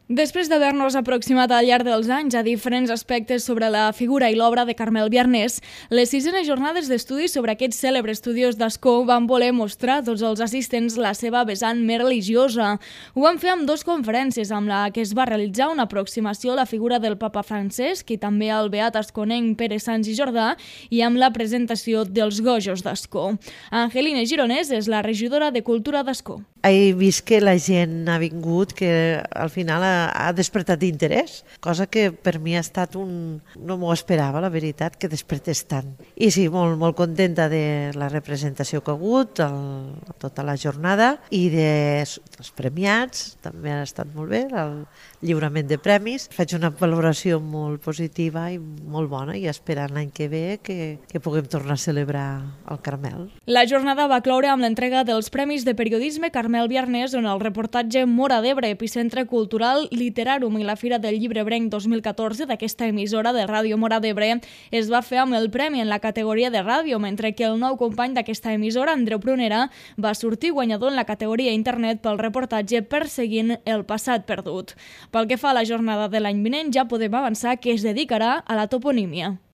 Després d'haver-nos aproximat al llarg dels anys a diferents aspectes sobre la figura i l'obra de Carmel Biarnés, les 6enes jornades d'estudis sobre aquest cèlebre estudiós d'Ascó van voler mostrar a tots els assistents la seva vessant més religiosa. Ho van fer amb 2 conferències, amb la que es va realitzar una aproximació a la figura del papa Francesc i també al beat asconenc Pere Sans i Jordà, i amb la presentació dels Gojos d'Ascó. Angelina Gironès és la regidora de Cultura d'Ascó. He vist que la gent ha vingut, que al final ha despertat interès, cosa que per mi ha estat no m'ho esperava, la veritat, que despertés tant. I sí, molt contenta de la representació que ha hagut, tota la jornada, i dels premiats, també ha estat molt bé, el lliurament de premis. Faig una valoració molt positiva i molt bona, i esperant l'any que ve que puguem tornar a celebrar el Carmel. La jornada va cloure amb l'entrega dels Premis de Periodisme Carmel Biarnés, on el reportatge Móra d'Ebre, epicentre cultural Literàrum, i la Fira del Llibrebrenc 2014 d'aquesta emissora de Ràdio Móra d'Ebre es va fer amb el premi en la categoria de ràdio, mentre que el nou company d'aquesta emissora, Andreu Prunera, va sortir guanyador en la categoria internet pel reportatge Perseguint el passat perdut. Pel que fa a la jornada de l'any vinent, ja podem avançar que es dedicarà a la toponímia.